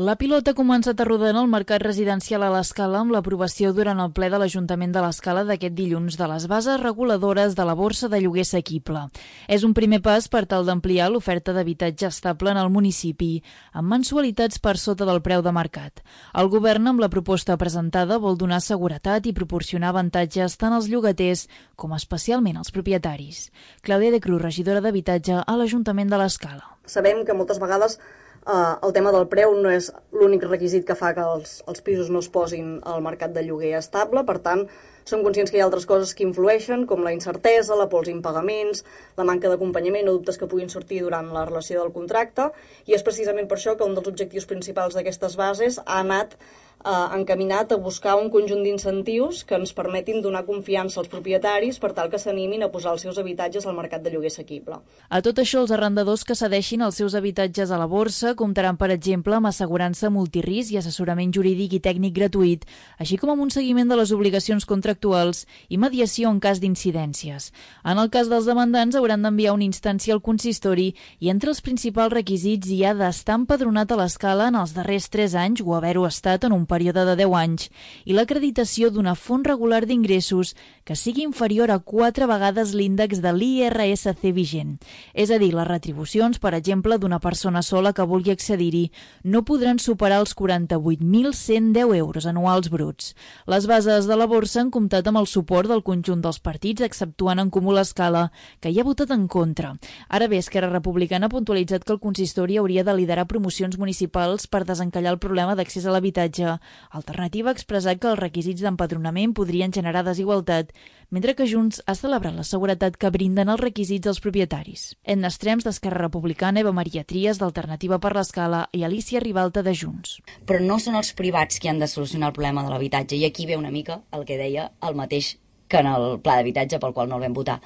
La pilota ha començat a rodar en el mercat residencial a l'Escala amb l'aprovació durant el ple de l'Ajuntament de l'Escala d'aquest dilluns de les bases reguladores de la borsa de lloguer assequible. És un primer pas per tal d'ampliar l'oferta d'habitatge estable en el municipi, amb mensualitats per sota del preu de mercat. El govern, amb la proposta presentada, vol donar seguretat i proporcionar avantatges tant als llogaters com especialment als propietaris. Clàudia de Cruz, regidora d'Habitatge a l'Ajuntament de l'Escala. Sabem que moltes vegades el tema del preu no és l'únic requisit que fa que els pisos no es posin al mercat de lloguer estable, per tant, som conscients que hi ha altres coses que influeixen, com la incertesa, la pols impagaments, la manca d'acompanyament o dubtes que puguin sortir durant la relació del contracte, i és precisament per això que un dels objectius principals d'aquestes bases ha anat encaminat a buscar un conjunt d'incentius que ens permetin donar confiança als propietaris per tal que s'animin a posar els seus habitatges al mercat de lloguer assequible. A tot això, els arrendadors que cedeixin els seus habitatges a la borsa comptaran, per exemple, amb assegurança multirisc i assessorament jurídic i tècnic gratuït, així com amb un seguiment de les obligacions contractuals i mediació en cas d'incidències. En el cas dels demandants, hauran d'enviar una instància al consistori i entre els principals requisits hi ha d'estar empadronat a l'Escala en els darrers 3 anys o haver-ho estat en un període de 10 anys i l'acreditació d'una font regular d'ingressos que sigui inferior a 4 vegades l'índex de l'IRSC vigent. És a dir, les retribucions, per exemple, d'una persona sola que vulgui accedir-hi no podran superar els 48.110 euros anuals bruts. Les bases de la borsa han comptat amb el suport del conjunt dels partits, exceptuant en Comú l'Escala, que hi ha votat en contra. Ara bé, Esquerra Republicana ha puntualitzat que el consistori hauria de liderar promocions municipals per desencallar el problema d'accés a l'habitatge. Alternativa ha expressat que els requisits d'empadronament podrien generar desigualtat, mentre que Junts ha celebrat la seguretat que brinden els requisits als propietaris. Edna Estrems, d'Esquerra Republicana, Eva Maria Trias, d'Alternativa per l'Escala, i Alicia Ribalta, de Junts. Però no són els privats qui han de solucionar el problema de l'habitatge, i aquí ve una mica el que deia el mateix que en el pla d'habitatge pel qual no el vam votar.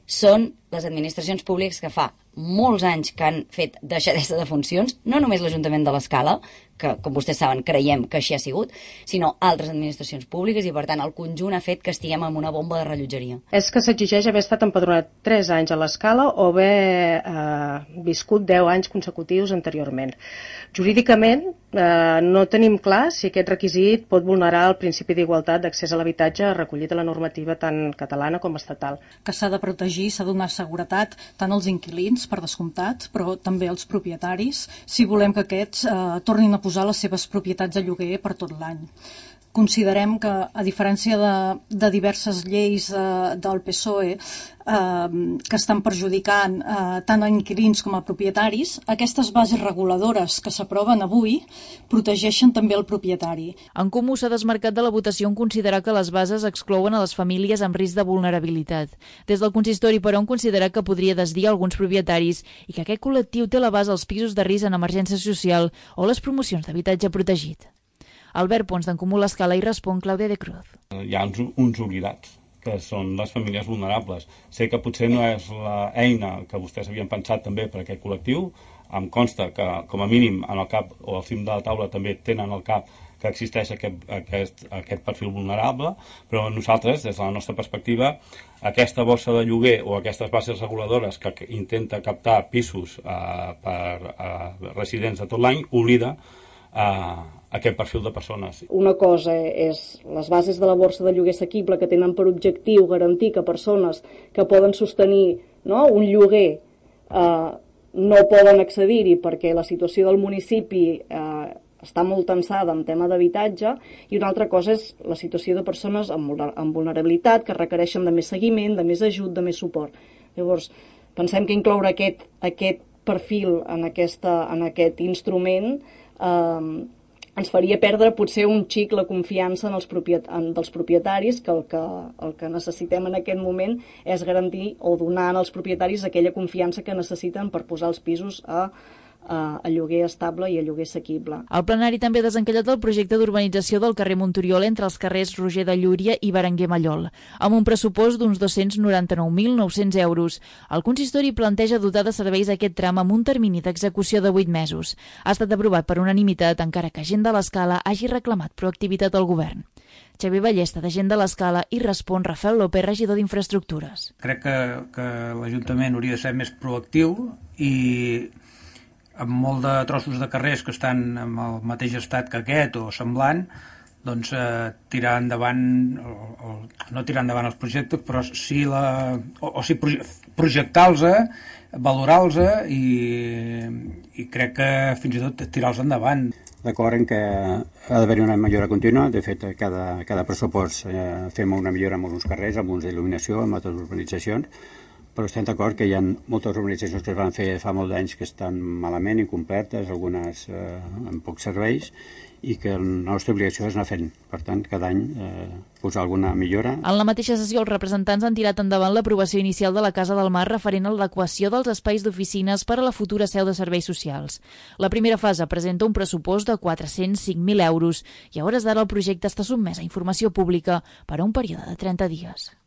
Són les administracions públiques que fa molts anys que han fet deixadesa de funcions, no només l'Ajuntament de l'Escala, que, com vostès saben, creiem que així ha sigut, sinó altres administracions públiques i, per tant, el conjunt ha fet que estiguem en una bomba de rellotgeria. És que s'exigeix haver estat empadronat 3 anys a l'Escala o haver viscut 10 anys consecutius anteriorment. Jurídicament, no tenim clar si aquest requisit pot vulnerar el principi d'igualtat d'accés a l'habitatge recollit a la normativa tant catalana com estatal. Que s'ha de protegir, s'ha de donar seguretat tant als inquilins, per descomptat, però també als propietaris, si volem que aquests tornin a posar les seves propietats de lloguer per tot l'any. Considerem que, a diferència de diverses lleis del PSOE que estan perjudicant tant a inquilins com a propietaris, aquestes bases reguladores que s'aproven avui protegeixen també el propietari. En Comú s'ha desmarcat de la votació en considerar que les bases exclouen a les famílies amb risc de vulnerabilitat. Des del consistori, però, han considerat que podria desdir alguns propietaris i que aquest col·lectiu té la base als pisos de risc en emergència social o les promocions d'habitatge protegit. Albert Pons, d'en Comú l'Escala, hi respon Clàudia de Cruz. Hi ha uns oblidats, que són les famílies vulnerables. Sé que potser no és l'eina que vostès havien pensat també per a aquest col·lectiu. Em consta que, com a mínim, en el cap o al cim de la taula també tenen al cap que existeix aquest perfil vulnerable, però nosaltres, des de la nostra perspectiva, aquesta borsa de lloguer o aquestes bases reguladores que intenta captar pisos per residents de tot l'any, oblida aquest perfil de persones. Una cosa és les bases de la borsa de lloguer assequible que tenen per objectiu garantir que persones que poden sostenir un lloguer no poden accedir-hi perquè la situació del municipi està molt tensada en tema d'habitatge, i una altra cosa és la situació de persones amb vulnerabilitat que requereixen de més seguiment, de més ajut, de més suport. Llavors, pensem que incloure aquest perfil en aquest instrument ens faria perdre potser un xic la confiança dels propietaris, que el que necessitem en aquest moment és garantir o donar als propietaris aquella confiança que necessiten per posar els pisos a lloguer estable i a lloguer assequible. El plenari també ha desencallat el projecte d'urbanització del carrer Montoriol entre els carrers Roger de Llúria i Berenguer Mallol. Amb un pressupost d'uns 299.900 euros, el consistori planteja dotar de serveis aquest tram amb un termini d'execució de 8 mesos. Ha estat aprovat per unanimitat, encara que gent de l'Escala hagi reclamat proactivitat al govern. Xavier Ballesta, de Gent de l'Escala, i respon Rafael López, regidor d'Infraestructures. Crec que l'Ajuntament hauria de ser més proactiu i amb molt de trossos de carrers que estan en el mateix estat que aquest o semblant, doncs tirar endavant, no tirar endavant els projectes, però sí, projectar-los, valorar-los i crec que fins i tot tirar-los endavant. D'acord en que ha d'haver una millora contínua. De fet, cada pressupost fem una millora en alguns carrers, amb uns d'il·luminació, en altres urbanitzacions, però estem d'acord que hi ha moltes urbanitzacions que es van fer fa molts anys que estan malament, incompletes, algunes amb pocs serveis, i que la nostra obligació és anar fent. Per tant, cada any posar alguna millora. En la mateixa sessió, els representants han tirat endavant l'aprovació inicial de la Casa del Mar referent a l'adequació dels espais d'oficines per a la futura seu de serveis socials. La primera fase presenta un pressupost de 405.000 euros i a hores d'ara el projecte està sotmès a informació pública per a un període de 30 dies.